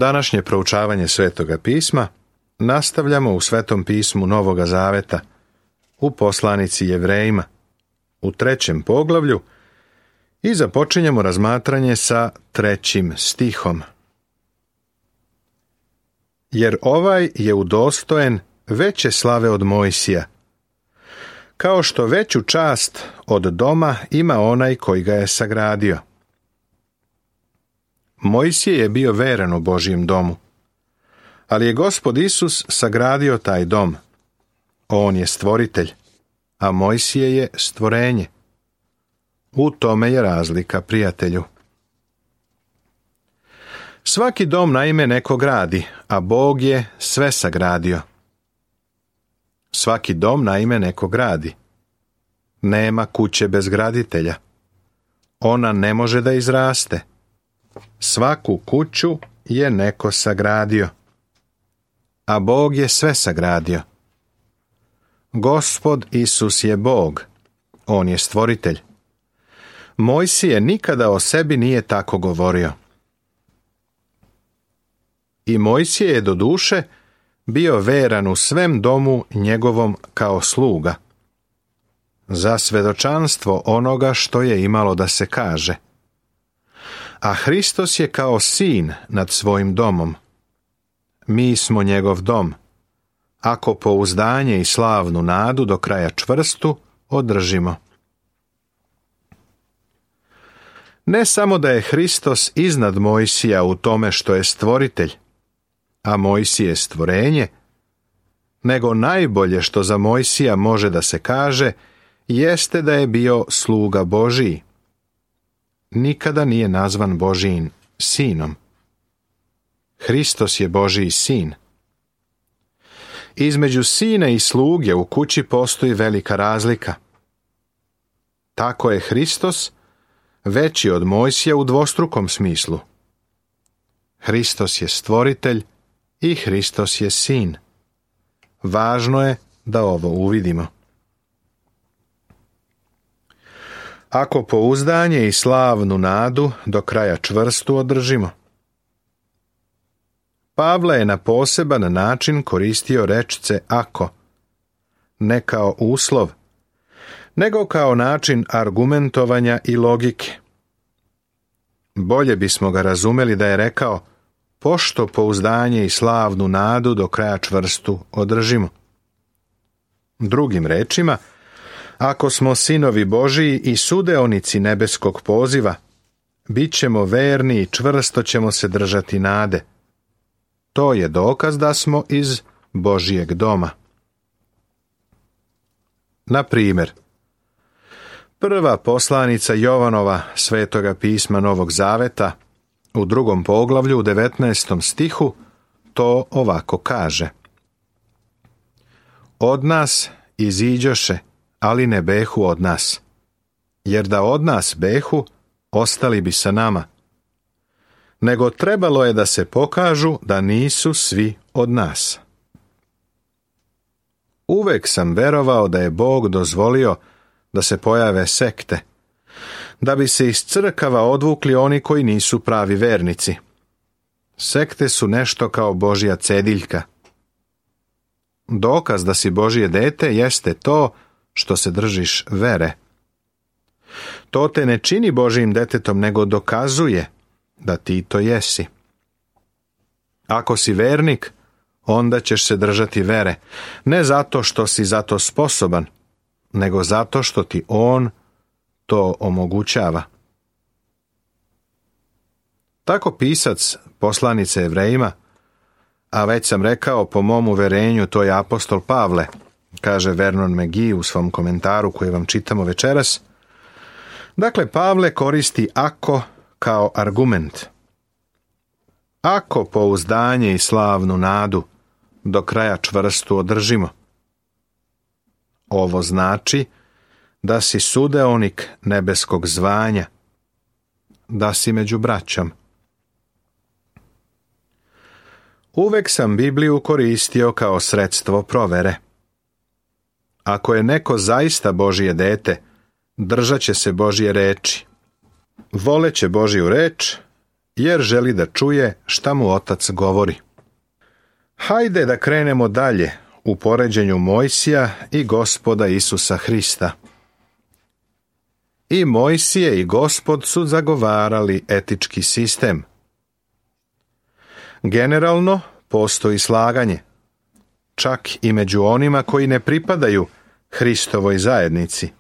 Današnje proučavanje Svetoga pisma nastavljamo u Svetom pismu Novoga Zaveta, u poslanici Jevrejima, u 3. poglavlju i započinjemo razmatranje sa 3. stihom. Jer ovaj je udostojen veće slave od Mojsija, kao što veću čast od doma ima onaj koji ga je sagradio. Mojsije je bio veran u Božjem domu, ali je Gospod Isus sagradio taj dom. On je stvoritelj, a Mojsije je stvorenje. U tome je razlika, prijatelju. Svaki dom naime neko gradi, a Bog je sve sagradio. Svaki dom naime neko gradi. Nema kuće bez graditelja. Ona ne može da izraste. Svaku kuću je neko sagradio, a Bog je sve sagradio. Gospod Isus je Bog, on je stvoritelj. Mojsije nikada o sebi nije tako govorio. I Mojsije je doduše bio veran u svem domu njegovom kao sluga, za svedočanstvo onoga što je imalo da se kaže. A Hristos je kao sin nad svojim domom. Mi smo njegov dom, ako pouzdanje i slavnu nadu do kraja čvrstu održimo. Ne samo da je Hristos iznad Mojsija u tome što je stvoritelj, a Mojsije stvorenje, nego najbolje što za Mojsija može da se kaže jeste da je bio sluga Božiji. Nikada nije nazvan Božijin sinom. Hristos je Božiji sin. Između sina i sluge u kući postoji velika razlika. Tako je Hristos veći od Mojsija u dvostrukom smislu. Hristos je stvoritelj i Hristos je sin. Važno je da ovo uvidimo. Ako pouzdanje i slavnu nadu do kraja čvrstu održimo. Pavle je na poseban način koristio rečce ako, ne kao uslov, nego kao način argumentovanja i logike. Bolje bismo ga razumeli da je rekao, pošto pouzdanje i slavnu nadu do kraja čvrstu održimo. Drugim rečima, ako smo sinovi Božiji i sudeonici nebeskog poziva, bit ćemo verni i čvrsto ćemo se držati nade. To je dokaz da smo iz Božijeg doma. Na primjer, prva poslanica Jovanova Svetoga pisma Novog Zaveta u 2. poglavlju u 19. stihu to ovako kaže. Od nas iziđoše, ali ne behu od nas, jer da od nas behu, ostali bi sa nama. Nego trebalo je da se pokažu da nisu svi od nas. Uvek sam verovao da je Bog dozvolio da se pojave sekte, da bi se iz crkava odvukli oni koji nisu pravi vernici. Sekte su nešto kao Božja cediljka. Dokaz da si Božje dete jeste to što se držiš vere. To te ne čini Božjim detetom, nego dokazuje da ti to jesi. Ako si vernik, onda ćeš se držati vere, ne zato što si za to sposoban, nego zato što ti on to omogućava. Tako pisac poslanice Jevrejima, a već sam rekao po mom uverenju to je apostol Pavle, kaže Vernon McGee u svom komentaru koji vam čitamo večeras. Dakle, Pavle koristi ako kao argument. Ako pouzdanje i slavnu nadu do kraja čvrstu održimo. Ovo znači da si sudeonik nebeskog zvanja, da si među braćom. Uvek sam Bibliju koristio kao sredstvo provere. Ako je neko zaista Božje dete, držat će se Božje reči. Voleće Božju reč jer želi da čuje šta mu otac govori. Hajde da krenemo dalje u poređenju Mojsija i Gospoda Isusa Hrista. I Mojsije i Gospod su zagovarali etički sistem. Generalno postoji slaganje, čak i među onima koji ne pripadaju Hristovoj zajednici,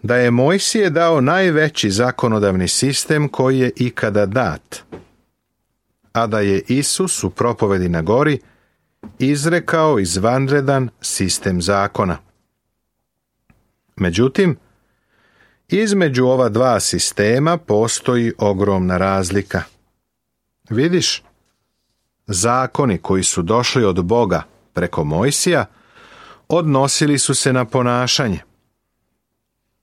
da je Mojsije dao najveći zakonodavni sistem koji je ikada dat, a da je Isus u propovedi na gori izrekao izvanredan sistem zakona. Međutim, između ova dva sistema postoji ogromna razlika. Vidiš, zakoni koji su došli od Boga preko Mojsija odnosili su se na ponašanje.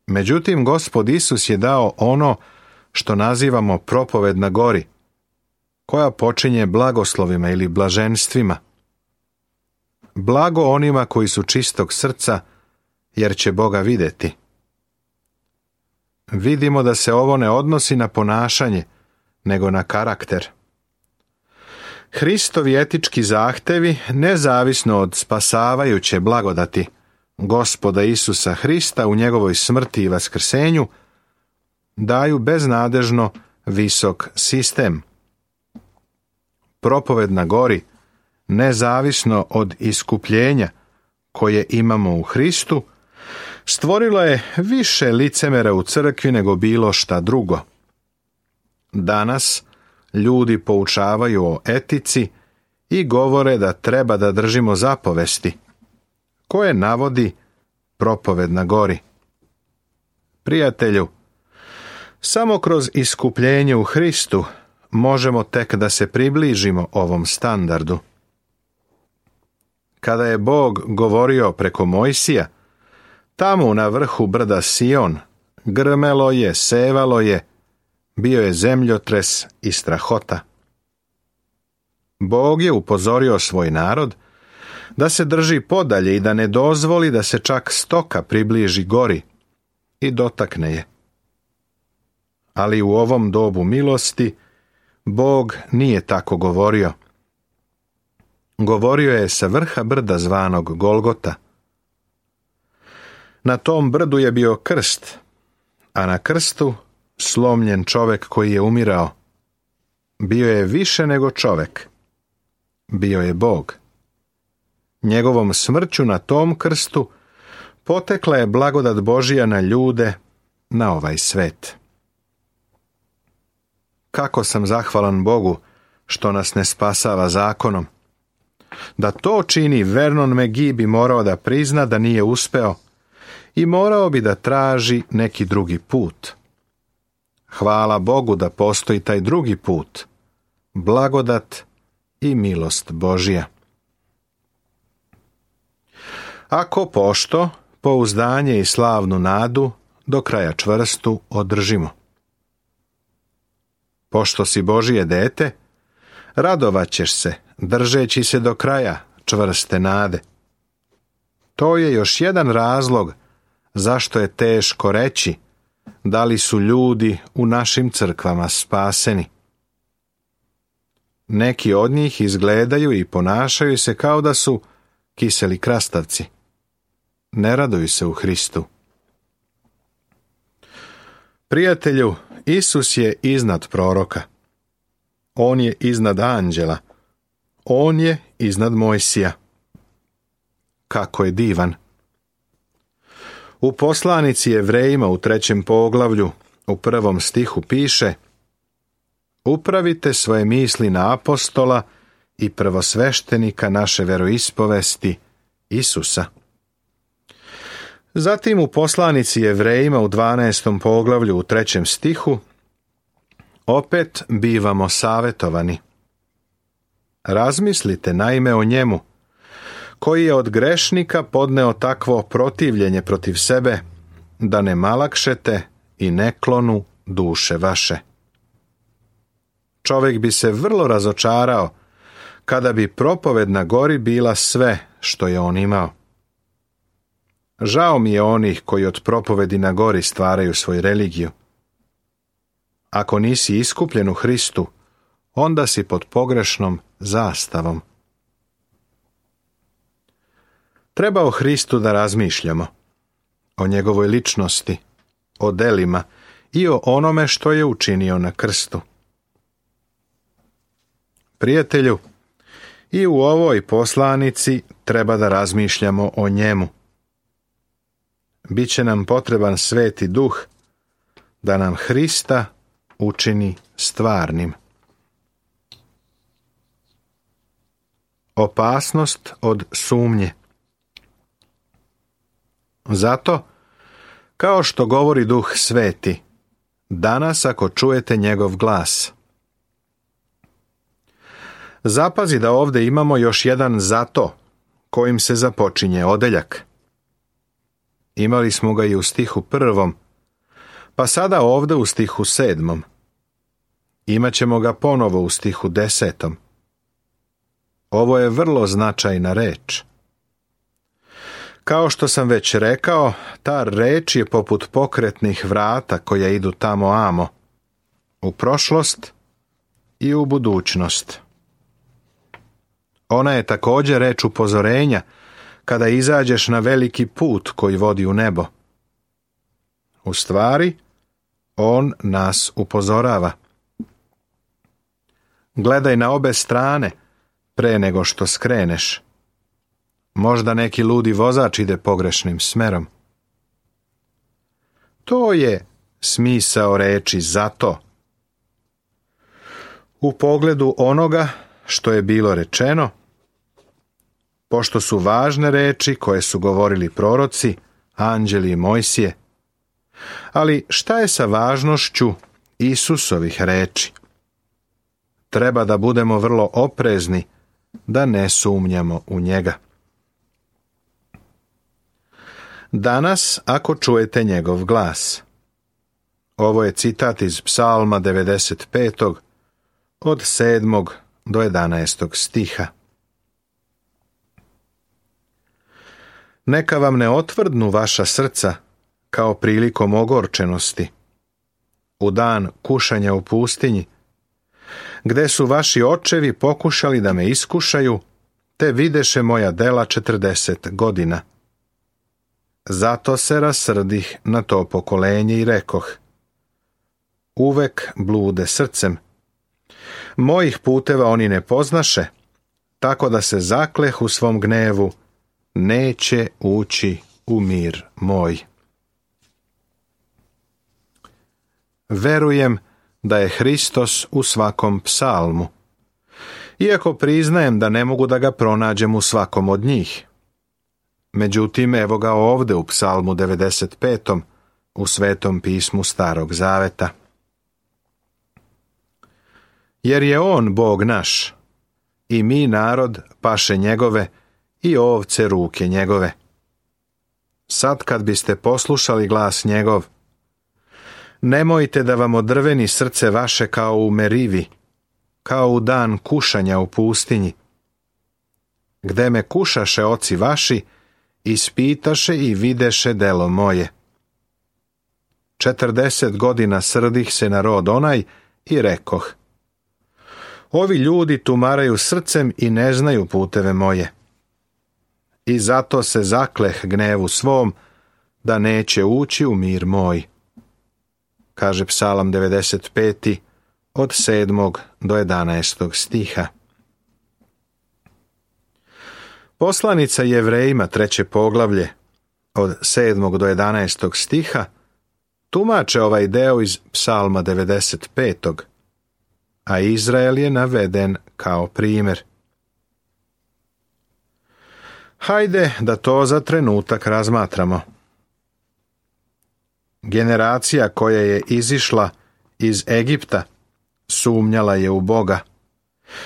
Međutim, Gospod Isus je dao ono što nazivamo propoved na gori, koja počinje blagoslovima ili blaženstvima. Blago onima koji su čistog srca, jer će Boga vidjeti. Vidimo da se ovo ne odnosi na ponašanje, nego na karakter. Hristovi etički zahtevi, nezavisno od spasavajuće blagodati Gospoda Isusa Hrista u njegovoj smrti i vaskrsenju, daju beznadežno visok sistem. Propoved na gori, nezavisno od iskupljenja koje imamo u Hristu, stvorilo je više licemera u crkvi nego bilo šta drugo. Danas ljudi poučavaju o etici i govore da treba da držimo zapovesti, koje navodi propoved na gori. Prijatelju, samo kroz iskupljenje u Hristu možemo tek da se približimo ovom standardu. Kada je Bog govorio preko Mojsija, tamo na vrhu brda Sion grmelo je, sevalo je, bio je zemljotres i strahota. Bog je upozorio svoj narod da se drži podalje i da ne dozvoli da se čak stoka približi gori i dotakne je. Ali u ovom dobu milosti Bog nije tako govorio. Govorio je sa vrha brda zvanog Golgota. Na tom brdu je bio krst, a na krstu slomljen čovek koji je umirao. Bio je više nego čovek. Bio je Bog. Njegovom smrću na tom krstu potekla je blagodat Božija na ljude, na ovaj svet. Kako sam zahvalan Bogu što nas ne spasava zakonom. Da to čini, Vernon McGee bi morao da prizna da nije uspeo i morao bi da traži neki drugi put. Hvala Bogu da postoji taj drugi put, blagodat i milost Božja. Ako pošto, pouzdanje i slavnu nadu do kraja čvrstu održimo. Pošto si Božije dete, radovaćeš se, držeći se do kraja čvrste nade. To je još jedan razlog zašto je teško reći da li su ljudi u našim crkvama spaseni. Neki od njih izgledaju i ponašaju se kao da su kiseli krastavci. Ne raduju se u Hristu. Prijatelju, Isus je iznad proroka. On je iznad anđela. On je iznad Mojsija. Kako je divan! U poslanici Jevrejima u 3. poglavlju, u 1. stihu piše: upravite svoje misli na apostola i prvosveštenika naše veroispovesti, Isusa. Zatim u poslanici Jevrejima u 12. poglavlju u 3. stihu opet bivamo savjetovani. Razmislite naime o njemu, koji je od grešnika podneo takvo protivljenje protiv sebe, da ne malakšete i ne klonu duše vaše. Čovjek bi se vrlo razočarao kada bi propoved na gori bila sve što je on imao. Žao mi je onih koji od propovedi na gori stvaraju svoju religiju. Ako nisi iskupljen u Hristu, onda si pod pogrešnom zastavom. Treba o Hristu da razmišljamo, o njegovoj ličnosti, o delima i o onome što je učinio na krstu. Prijatelju, i u ovoj poslanici treba da razmišljamo o njemu. Biće nam potreban Sveti Duh da nam Hrista učini stvarnim. Opasnost od sumnje. Zato, kao što govori Duh Sveti, danas ako čujete njegov glas. Zapazi da ovdje imamo još jedan zato, kojim se započinje odeljak. Imali smo ga i u stihu 1, pa sada ovdje u stihu 7. Imaćemo ga ponovo u stihu 10. Ovo je vrlo značajna reč. Kao što sam već rekao, ta reč je poput pokretnih vrata koja idu tamo amo, u prošlost i u budućnost. Ona je također reč upozorenja kada izađeš na veliki put koji vodi u nebo. U stvari, on nas upozorava. Gledaj na obe strane pre nego što skreneš. Možda neki ludi vozač ide pogrešnim smerom. To je smisao reči zato. U pogledu onoga što je bilo rečeno, pošto su važne reči koje su govorili proroci, anđeli i Mojsije. Ali šta je sa važnošću Isusovih reči? Treba da budemo vrlo oprezni, da ne sumnjamo u njega. Danas, ako čujete njegov glas. Ovo je citat iz Psalma 95. od 7. do 11. stiha. Neka vam ne otvrdnu vaša srca kao prilikom ogorčenosti, u dan kušanja u pustinji, gde su vaši očevi pokušali da me iskušaju, te videše moja dela 40 godina. Zato se rasrdih na to pokolenje i rekoh: uvek blude srcem. Mojih puteva oni ne poznaše, tako da se zakleh u svom gnevu, neće ući u mir moj. Verujem da je Hristos u svakom psalmu, iako priznajem da ne mogu da ga pronađem u svakom od njih. Međutim, evo ga ovdje u psalmu 95. u Svetom pismu Starog Zaveta. Jer je on Bog naš, i mi narod paše njegove i ovce ruke njegove. Sad kad biste poslušali glas njegov, nemojte da vam odrveni srce vaše kao u Merivi, kao u dan kušanja u pustinji, gde me kušaše oci vaši, ispitaše i videše delo moje. 40 godina srdih se na rod onaj i rekoh: ovi ljudi tumaraju srcem i ne znaju puteve moje. I zato se zakleh gnevu svom, da neće ući u mir moj. Kaže Psalam 95. od 7. do 11. stiha. Poslanica Jevrejima 3. poglavlje od 7. do 11. stiha tumače ovaj deo iz Psalma 95. a Izrael je naveden kao primjer. Hajde da to za trenutak razmatramo. Generacija koja je izišla iz Egipta sumnjala je u Boga.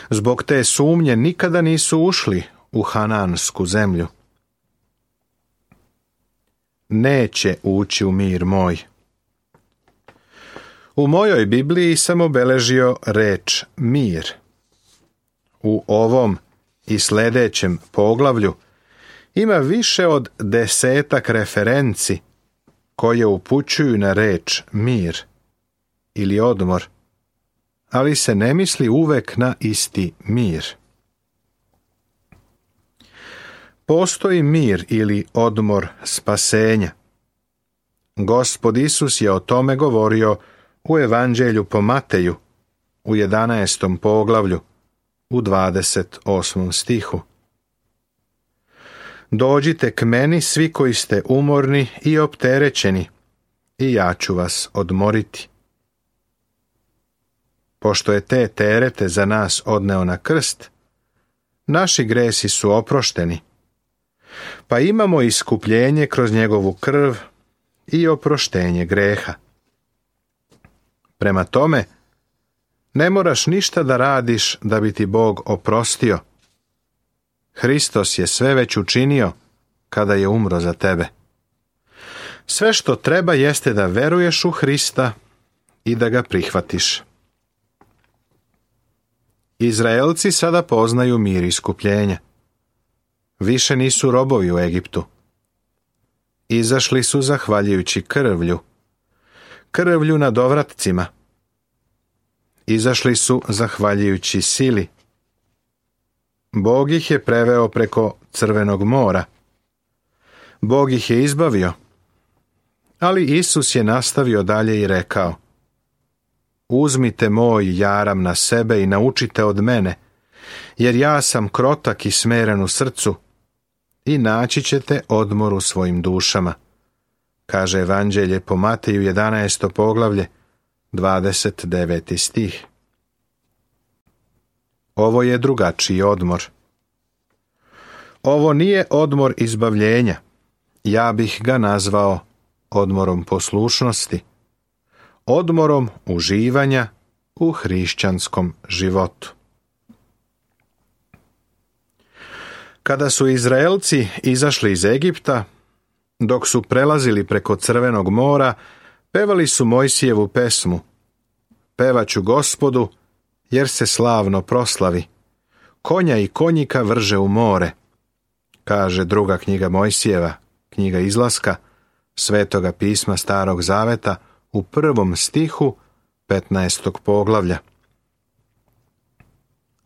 Zbog te sumnje nikada nisu ušli u Hanansku zemlju. Neće ući u mir moj. U mojoj Bibliji sam obeležio reč mir. U ovom i sljedećem poglavlju ima više od 10 referenci koje upućuju na reč mir. ili odmor, ali se ne misli uvek na isti mir. Postoji mir ili odmor spasenja. Gospod Isus je o tome govorio u Evanđelju po Mateju, u 11. poglavlju, u 28. stihu. Dođite k meni svi koji ste umorni i opterećeni, i ja ću vas odmoriti. Pošto je te terete za nas odneo na krst, naši gresi su oprošteni, pa imamo iskupljenje kroz njegovu krv i oproštenje greha. Prema tome, ne moraš ništa da radiš da bi ti Bog oprostio. Hristos je sve već učinio kada je umro za tebe. Sve što treba jeste da veruješ u Hrista i da ga prihvatiš. Izraelci sada poznaju mir iskupljenja. Više nisu robovi u Egiptu. Izašli su zahvaljujući krvlju na dovratcima. Izašli su zahvaljujući sili. Bog ih je preveo preko Crvenog mora. Bog ih je izbavio. Ali Isus je nastavio dalje i rekao: Uzmite moj jaram na sebe i naučite od mene, jer ja sam krotak i smeren u srcu, i naći ćete odmor u svojim dušama, kaže Evanđelje po Mateju 11. poglavlje, 29. stih. Ovo je drugačiji odmor. Ovo nije odmor izbavljenja. Ja bih ga nazvao odmorom poslušnosti, odmorom uživanja u hrišćanskom životu. Kada su Izraelci izašli iz Egipta, dok su prelazili preko Crvenog mora, pevali su Mojsijevu pesmu: Pevaću Gospodu, jer se slavno proslavi. Konja i konjika vrže u more, kaže druga knjiga Mojsijeva, knjiga Izlaska, Svetoga pisma Starog zaveta, u 1. stihu 15. poglavlja.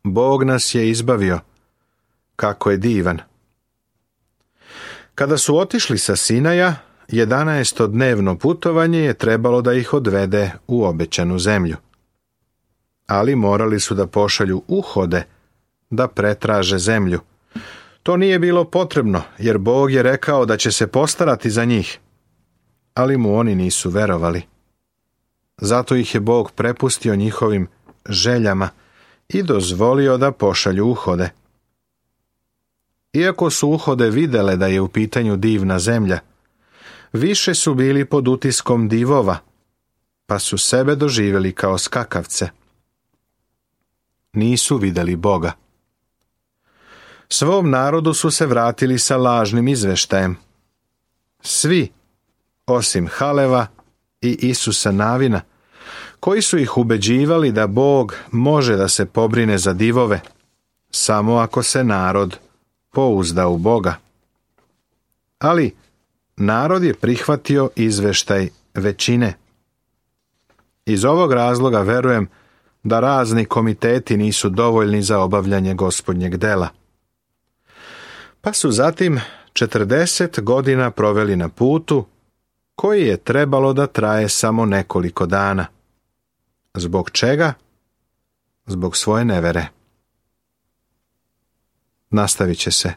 Bog nas je izbavio. Kako je divan. Kada su otišli sa Sinaja, 11-dnevno putovanje je trebalo da ih odvede u obećanu zemlju. Ali morali su da pošalju uhode da pretraže zemlju. To nije bilo potrebno, jer Bog je rekao da će se postarati za njih. Ali mu oni nisu verovali. Zato ih je Bog prepustio njihovim željama i dozvolio da pošalju uhode. Iako su uhode videle da je u pitanju divna zemlja, više su bili pod utiskom divova, pa su sebe doživjeli kao skakavce. Nisu vidjeli Boga. Svom narodu su se vratili sa lažnim izveštajem. Svi, osim Haleva i Isusa Navina, koji su ih ubeđivali da Bog može da se pobrine za divove, samo ako se narod pouzda u Boga. Ali narod je prihvatio izveštaj većine. Iz ovog razloga verujem da razni komiteti nisu dovoljni za obavljanje Gospodnjeg dela. Pa su zatim 40 godina proveli na putu, koji je trebalo da traje samo nekoliko dana. Zbog čega? Zbog svoje nevere. Nastavit će se.